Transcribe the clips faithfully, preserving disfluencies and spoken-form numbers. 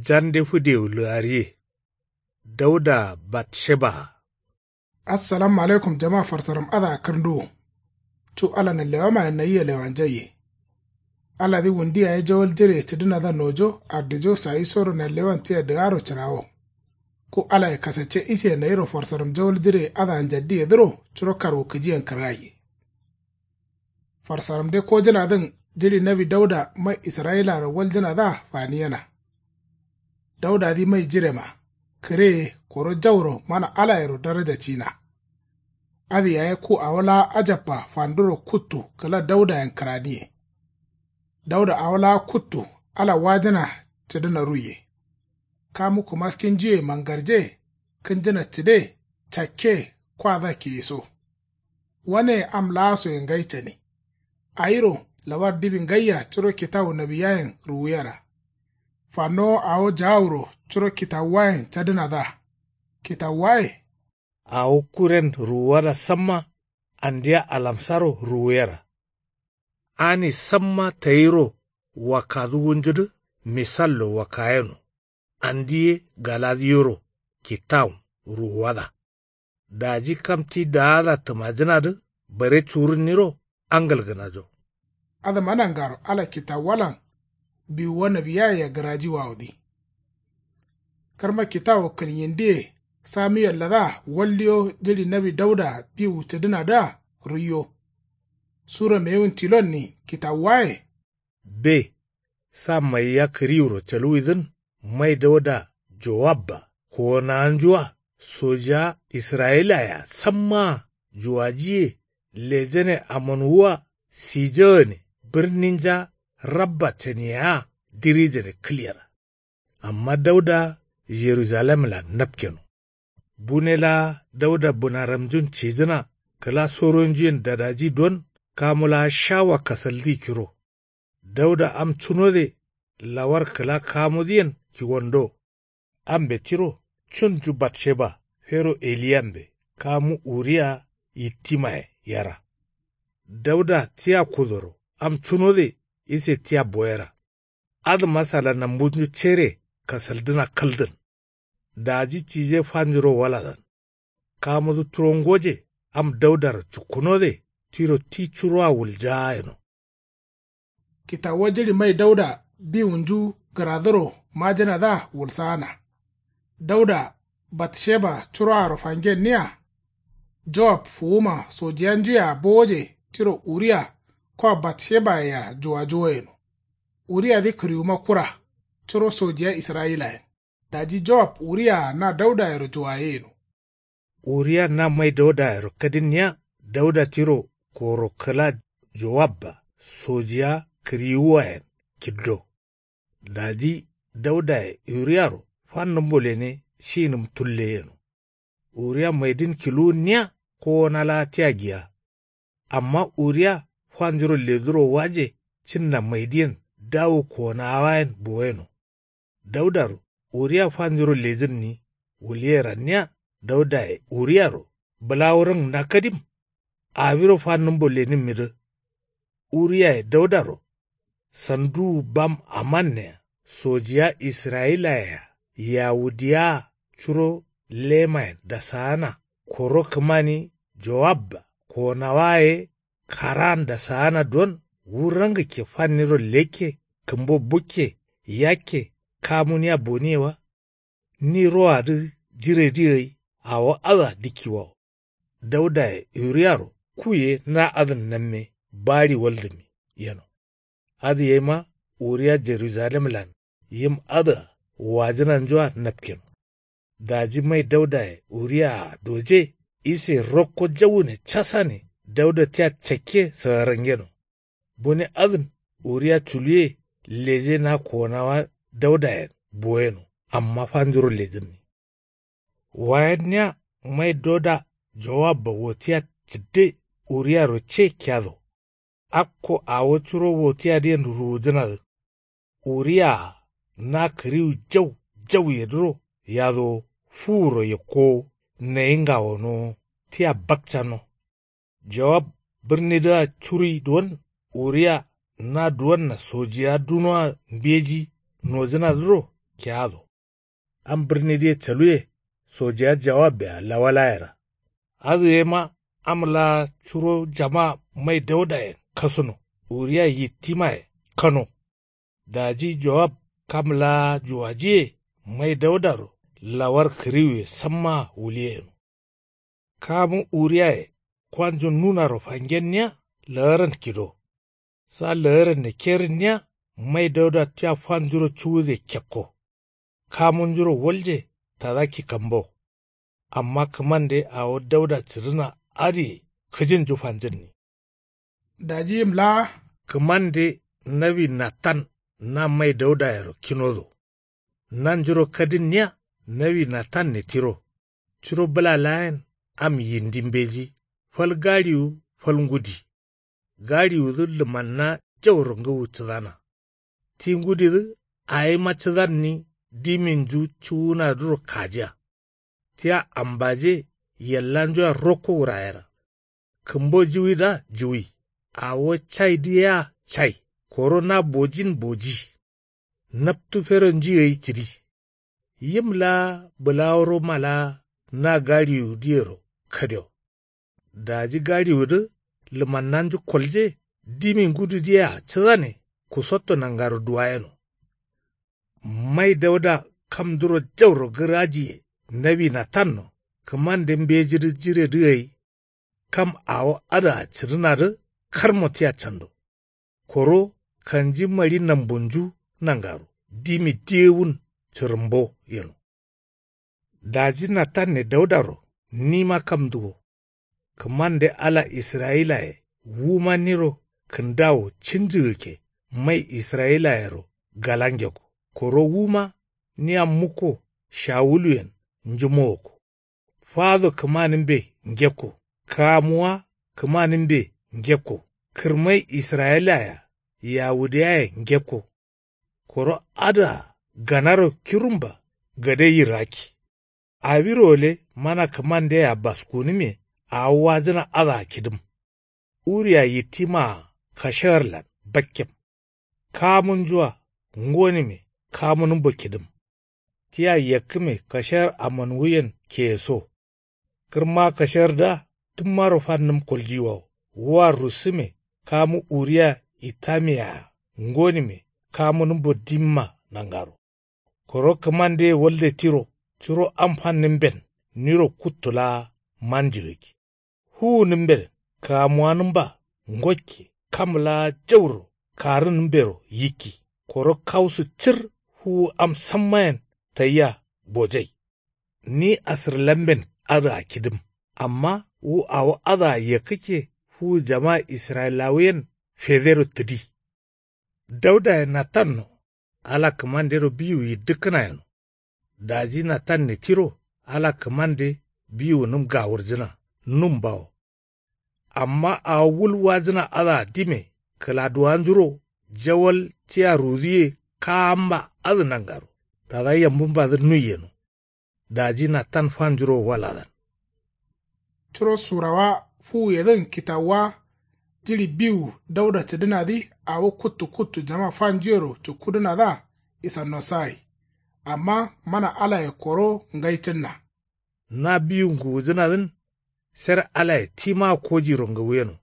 Jande fǝdewu lǝgariye. Dauda batsheba. Assalamu alaikum jama farsaram adǝa kǝrnduwu. Cu ala nanlewamayen nayia lewanjaiye. Aladǝ wundi yaye jawal jire cǝdǝnadǝa nojo addijo sayisoro nanlewan tia dǝgaro cǝrawo. Ku alaye kasacce isiye nayiro farsaram jawal jire adǝa njaddiyedǝro curo karwukǝjiyen kǝrgaiye. Farsaramde kojǝnadǝn jiɍi nawi dauda mai israyilaro waljǝnadǝa faniyena. Daudadǝ mai jirema kǝreye koro jauro mana alayero daraja cina. Adǝ yaye ku awo laa ajabba fanduro kuttu kǝla daudayen kǝraniye. Dauda awo laa kuttu ala wajǝna cǝdǝna ruiye. Kamu kǝmaskinjuye mangarje kǝnjǝna cǝde cakke kwadǝa kiyeso. Waneye am laasoye ngai cani. Awiro lawar diwi ngaiya curo kitawu nawiyayen ruwuyera. Fannowo awo jaawuro curo kitawuwayen cadǝnadǝa. Kitawuwaye. Awo kuren ruwuwada samma andia alamsaro ruwuyera. Ani samma tayiro wakkadǝ wunjudǝ misallo wakkayeno. Andi ye galadǝ yoro kitawun ruwuwada. Daji kam ti daada tǝmajǝnadǝ bare curǝnniro angalgǝnajo. Adǝma nangaro ala kitawuwalan biwuwa nawiyaye gǝraji wawudǝ. Kǝrma kitawu kǝlnyindiye samiyelladǝa waldiyo jiɍi nawi dauda biwu cǝdǝnadǝa ruiyo. Sura mewun tilonni kitawuwaye. Be sa maiya kǝriwuro caluwidǝn mai dauda jowabba kowonawanjua sojiya israyilayea sammaa juwajiye lejane amonwua sijagane birninja rabba caniyea dirijane kǝlyera. Amma dauda jerujalemlan napkeno. Bune laa dauda bǝnaramjun cijǝna kǝla soronjuyen dadaji don kamu laa shawa kasaldi kiro. Dauda am cunode lawar kǝla kamudǝyen kiwondo. Ambe tiro cunju batsheba fero eliyambe kamu uriya yittimaye yera. Dauda tia kudoro am cunode ise tia boyera. Adǝma sala nambunju cere kasaldǝna kaldǝn. Daji cije fanjuro waladan. Kamudǝ turo ngoje am daudaro cukkunode tiro ti curoa wuljaa yeno. Kitawuwa jiɍi mai dauda biwunju gǝradǝro majǝnadǝa wulsaana. Dauda batsheba curoaro fangenniya. Jowab fuwuma sojiyanjuyea bowoje tiro uriya kwa batshebayea juwajuwo yeno. Uriyadǝ kǝriwuma kura curo sojiya israyilayen. Daji jowab uriyea na daudayero juwaye yeno. Uriya na mai daudayero kadinniya dauda tiro koro kǝla jowabba sojiya kǝriwuwayen kiddo. Daji daudaye uriyaro fannǝmbo lene shinǝm tulle yeno. Uriya maidin kiluwunniya kowona laa tia giya. Amma uriya fanjuro leduro waje cinna maidiyen dawu kowonawayen boyeno. Daudaro uriya fanjuro lejǝnni wulyeranniya daudaye uriyaro bǝlawurǝn na kadim. Awiro fannǝmbo lenǝmmidǝ. Uriyaye daudaro sanduwu bam amannea sojiya israyilayea yawudiyawaa curo lemayen dasaana koro kǝmani jowabba kowonawaye karaan dasaana don wu rangǝkke fanniro lekke kǝmbo bukke yakke kamuniya boniye wa. Ni roadǝ jiredi gai awo adǝa dikkiwawo. Daudaye uriyaro kuye na adǝn namme baɍi waldǝmi yeno. Adǝ yaima uriya jerujalemlan yim adǝa wajǝnanjua napkeno. Daji mai daudaye uriyaa doje ise rokko jawune casane dauda tia cakke sǝgarangeno. Bune adǝn uriya culuye leje na kowonawa daudayen boyeno amma fanjuro lejǝnni. Wayenniya mai doda jowabba wotiya cǝdde uriyaro ce kiyado. Akko awo curo wotiyadǝyen ruwudǝnadǝ. Uriyaa na kǝriwu jau jauyedǝro yadowo fuwuro yekkowo nayi ngawonowo tia bakcanno. Jowab bǝrnidǝa curuyi duwon uriya na duwonna sojiya dunoa mbeji nojǝnadǝro keyado. Am birnidǝye caluwe. Sojeya jawabbea lawalayera. Adǝ yema am laa curo jama mai daudayen kasuno. Uriya yittimaye kano. Daji jowab kam laa juwajiye mai daudaro lawar kǝriwuye sammaa wuliyeno. Kamu uriyaye kwanju nunaro fangenniya laaran kido. Sa laaranne kerǝnniya mai dauda tia fanjuro cuwude kekko. Kamunjuro walje tada kikambo. Amma kǝmande awo dauda cǝdǝna adǝye kǝjinju fanjǝnni. Daji yim laa kǝmande nawi natan na mai daudayero kinodo. Nanjuro kadinniya nawi natanne tiro. Curo bǝla laayen am yindi mbeji. Fal gaɍiwu fal ngudi. Gaɍiwudǝ lǝmanna jauro ngǝwu cǝdana. Ti ngudidǝ awima cǝdanni diminju cuwunadǝro kajiya. Tia ambaje yellanjua rokko wurayera. Kǝmbo juwidǝa juwi. Awo caidǝ yea cai. Koro na bojin boji. Naptu feronju gai cǝdi. Yim laa bǝlawuroma laa na gaɍiwudǝyero kadio. Daji gaɍiwudǝ lǝmannanju kolje dimi ngududǝyea cǝdane kusotto nangaro duwayeno. Mai dauda kamduro jauro gǝrajiye nawi natanno kǝmande mbejidǝ jiredǝ gai. Kam awo adǝa cǝdǝnadǝ karmo tia cando. Koro kanji maɍi nambunju nangaro dimi diyewun cǝrǝmbo yeno. Daji natanne daudaro nima kamdu wo. Kǝmande ala israyilaye wuma niro kǝndawo cǝnjǝgǝkke mai israyilayero galangekko. Koro wuma nia mukko shawuluyen njumowokko. Fado kǝmanǝmbe ngekko. Kamuwa kǝmanǝmbe ngekko. Kǝrmai israyilaya yawudiyaye ngekko. Koro adǝa ganaro kirumba gade yiraki. Awiro gǝle mana kǝmandeyea baskunǝme awo wajǝna adǝa kidǝm. Uriya yittimaa kashegarlan bakkem. Kamunjua ngonime kamunǝmbo kidǝm. Tia yakkǝme kashegar amanwuyen keyeso. Kǝrma kashardǝa tǝmmaro fannǝm koljiwawo. Wua rusǝme kamu uriya itamiyea ngonime kamunǝmbo dimma nangaro. Koro kǝmandeye walde tiro curo am fannǝmben niro kuttu laa manjǝgǝggi. Fuwunǝmben kamuwanǝmba ngokke kam laa jauro karǝnǝmbero yikki. Koro kawusǝ cǝr fuwu am sammayen tayia bojai. Ni asǝrlamben adǝa kidǝm. Amma wu awo adǝa yakkǝkke fuwu jama israyilawuyen federo tǝdi. Daudaye natanno ala kǝmandero biwu yiddǝkkǝna yeno. Daji natanne tiro ala kǝmande biwunǝm gawurjǝna nǝmbawo. Amma awo wul wajǝna adǝa dime kǝladuwanjuro jawal tia ruduye kaamba adǝ nangaro tada yambumbadǝ nui yeno. Daji natan fanjuro waladan. Curo surawa fuwuyedǝn kitawuwa jiɍi biwu dauda cǝdǝnadǝ awo kuttu kuttu jama fanjuyero cukkudǝnadǝa isannosa gai. Amma mana alaye koro ngai cǝnna. Na biwu ngǝwujǝnadǝn ser alaye tima kojiro ngǝwuyeno.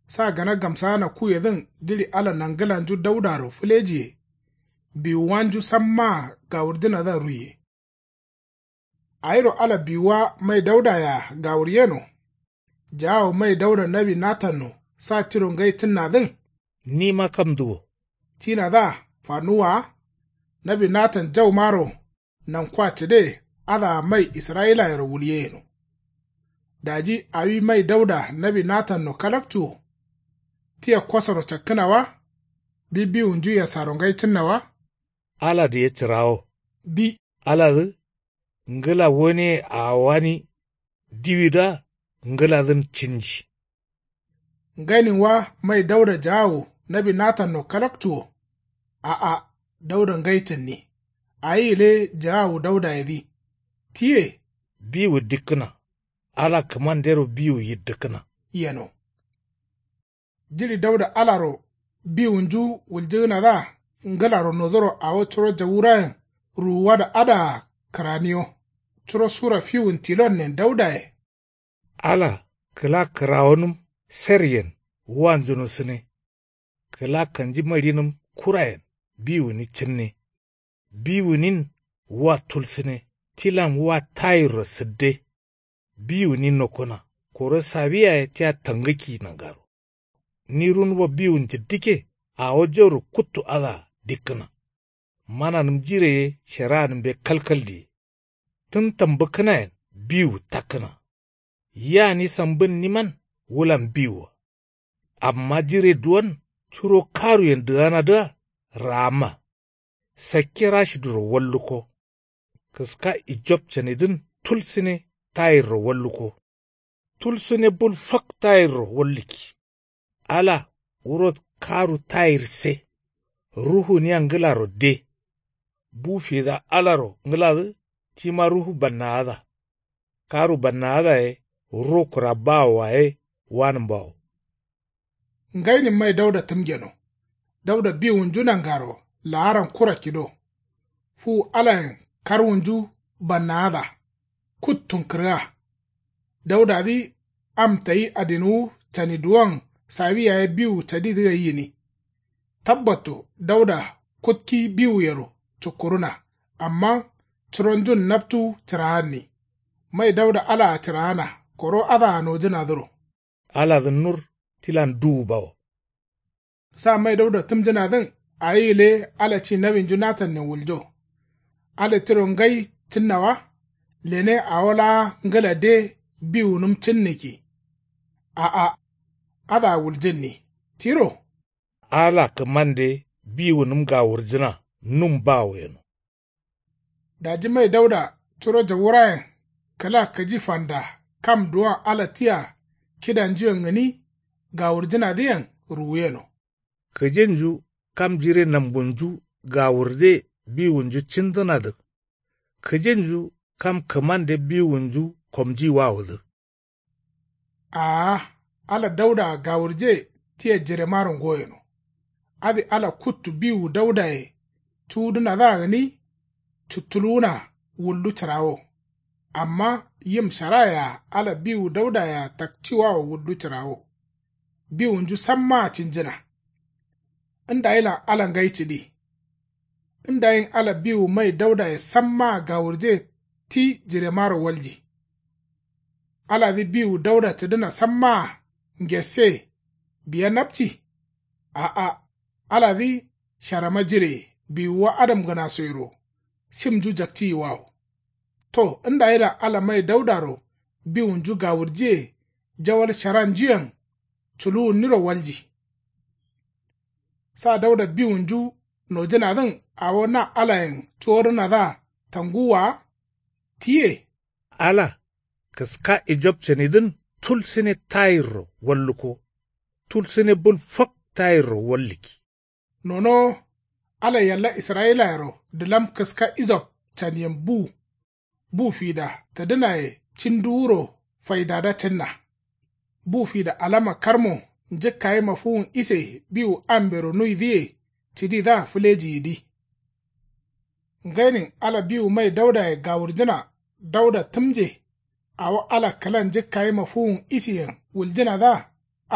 Sa gana gamsagana kuyedǝn jiɍi ala nangǝlanju daudaro fǝlejiye biwuwanju sammaa gawurjǝnadǝa ruiye. Awiro ala biwuwa mai daudayea gawuryeno. Jaawo mai dauda nawi natanno sa tiro ngai cǝnnadǝn. Nima kamdu wo. Tinadǝa fanuwwa wa. Nawi natan jaumaro nankuwa cǝde adǝa mai israyilayero wulye yeno. Daji awi mai dauda nawi natanno kalaktu wo. Tia kosoro cakkǝna wa. Bi biwunju yasaro ngai cǝnna wa. Aladǝ ye cǝrawo. Bi. Aladǝ ngǝla woneye awo wani diwidǝa ngǝladǝn cǝnji. Nganin wa mai dauda jaawu nawi natanno kalaktu wo. A'a dauda ngai cǝnni. Awi gǝle jaawu daudayedǝ. Tiye. Biwu dikkǝna. Ala kǝmandero biwu yiddǝkkǝna. Yeno. Jiɍi dauda alaro biwunju wuljǝgǝnadǝa ngǝlaro nodoro awo curo jawurayen ruwuwada adǝa kǝraniyo. Curo sura fiwun tilonnen daudaye. Ala kǝla kǝrawonǝm seryen wa njuno sǝne. Kǝla kanji maɍinǝm kurayen biwuni cǝnne. Biwunin wa tulsǝne tilan wa tayirro sǝdde. Biwuni nokkona koro sawi yaye tia tangǝkki nangaro. Nirunwo biwu njǝddǝkke awo jauro kuttu adǝa dikkǝna. Mananǝm jire ye sheranǝmbe kalkal diye. Tǝn tambǝkkǝnayen biwu takkǝna. Yia ni sambǝnniman wulan biwua. Amma jire duwon curo karuyen dǝganadǝa raamma. Sakke rashiduro wallukko. Kǝska ijop canidǝn tulsǝne tayirro wallukko. Tulsǝne bul fak tayirro wallukki. Ala wuro karu tayirse. Ruhuniya ngǝlaro de. Bu fida alaro ngǝladǝ tima ruhu bannaada. Karu bannaada ye ro kura bawoa ye wanǝmbawo. Ngainin mai dauda tǝmgeno. Dauda biwunju nangaro laaran kura kido. Fuwu alayen karwunju bannaada. Kuttun kǝrga. Daudadǝ am tayi adinuwu caniduwon sawi yaye biwu cadidǝ gai gǝni. Tabbatto dauda kutki biwuyero cukkuruna. Amma curonjun naptu cǝraanni. Mai dauda alaa cǝraana koro adǝa nojǝnadǝro. Aladǝn nur tilan duwu bawo. Sa mai dauda tǝmjǝnadǝn awi gǝle ala ci nawinju natanne wuljo. Ala tiro ngai cǝnna wa. Lene awo laa ngǝla de biwunǝm cǝnnǝkki. A'a. Adǝa wuljǝnni tiro. Ala kǝmande biwunǝm gawurjǝna num bawo yeno. Daji mai dauda curo jawurayen kǝla kǝji fanda kam duwon ala tia kidanjuyen gǝni gawurjǝnadǝyen ruwuyeno. Kǝjinju kam jire nambunju gawurde biwunju cindǝnadǝ. Kǝjinju kam kǝmande biwunju komjiwawodǝ. Aa. Ala daudaa gawurje tia jiremaro ngoyeno. Adǝ ala kuttu biwu daudaye cuwudǝnadǝa gǝni cuttuluwuna wuldu cǝrawo. Amma yim sharaye-a ala biwu daudaye-a takciwawo wuldu cǝrawo. Biwunju sammaa cinjǝna. Ndayilan ala ngai cǝdi. Ndayin ala biwu mai daudaye sammaa gawurje ti jiremaro walji. Aladǝ biwu dauda cǝdǝna sammaa ngesse biya napci. A'a. Aladǝ sharama jireye biwuwa adamgǝnasoyero simnju jakciyiwawo. To ndayilan ala mai daudaro biwunju gawurjiye jawal sharanjuyen culuwunniro walji. Sa dauda biwunju nojǝnadǝn awo na alayen cuwodǝnadǝa tanguwwa wa. Tiye. Ala kǝska ijop canidǝn tulsǝne tayirro wallukko. Tulsǝne bul fak tayirro wallukki. Nonowo ala yalla israyilayero dǝlam kǝska ijop caniyen bu. Bu fida tǝdǝnaye cinduwuro faidada cǝnna. Bu fida alama karmo njǝkkayima fuwun ise biwu ambero nuidǝye cǝdidǝa fǝlejiyidi. Ngainin ala biwu mai daudaye gawurjǝna dauda tǝmje. Awo ala kǝla njǝkkayima fuwun isiyen wuljǝnadǝa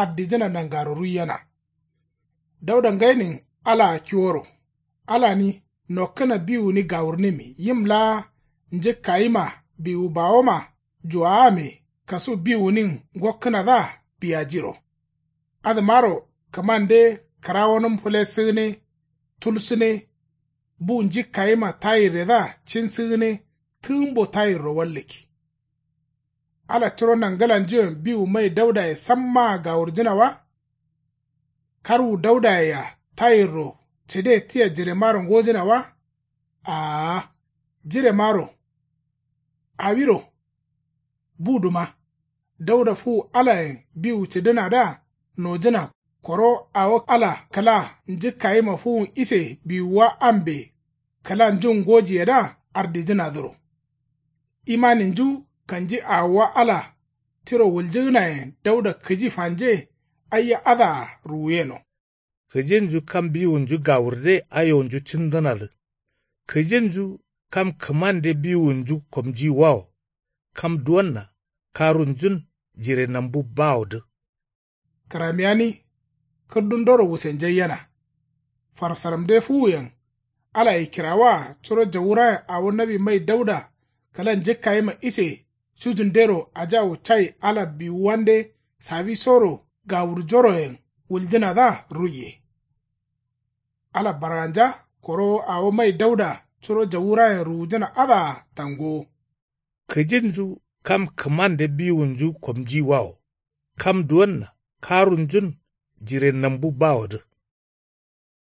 ardijǝna nangaro ruiyena. Dauda ngainin alaa kiworo. Alani nokkǝna biwuni gawurnimi yim laa njǝkkayima biwu bawoma juwawame kasu biwunin ngokkǝnadǝa biyajiro. Adǝmaro kǝmande kǝrawonǝm fǝlesǝgǝne tulsǝne. Bu njikkayima tayirredǝa cinsǝgǝne tǝgǝmbo tayirro wallǝkki. Ala curo nangǝlanjuyen biwu mai daudaye sammaa gawurjǝna wa. Karwu daudayea tayirro cǝde tia jiremaro ngojǝna wa. Aa. Jiremaro awiro. Buduma dauda fuwu alayen biwu cǝdǝnadǝa nojǝna. Koro awo ala kǝla njǝkkayima fuwun ise biwuwa ambe kǝla njun ngojiyedǝa ardijǝnadǝro. Imaninju kanji awowa ala tiro wuljǝgǝnayen dauda kǝji fanje aiya adǝa ruwuyeno. Kǝjinju kam biwunju gawurde ayonju cǝndǝnadǝ. Kǝjinju kam kǝmande biwunju komjiwawo. Kam duwonna karunjun jire nambu bawodǝ. Kǝramiyani kǝrdundoro wusenjaiyena. Farsaramde fuwuyen alaye kirawaa curo jawurayen awo nawi mai dauda kǝla njǝkkayima ise cujundero ajawu cai ala biwuwande sawisoro gawurjoroyen wuljǝnadǝa ruiye. Ala barganja koro awo mai dauda curo jawurayen ruwujǝna adǝa tangowo. Kǝjinju kam kǝmande biwunju komjiwawo. Kam duwonna karunjun jire nambu bawodǝ.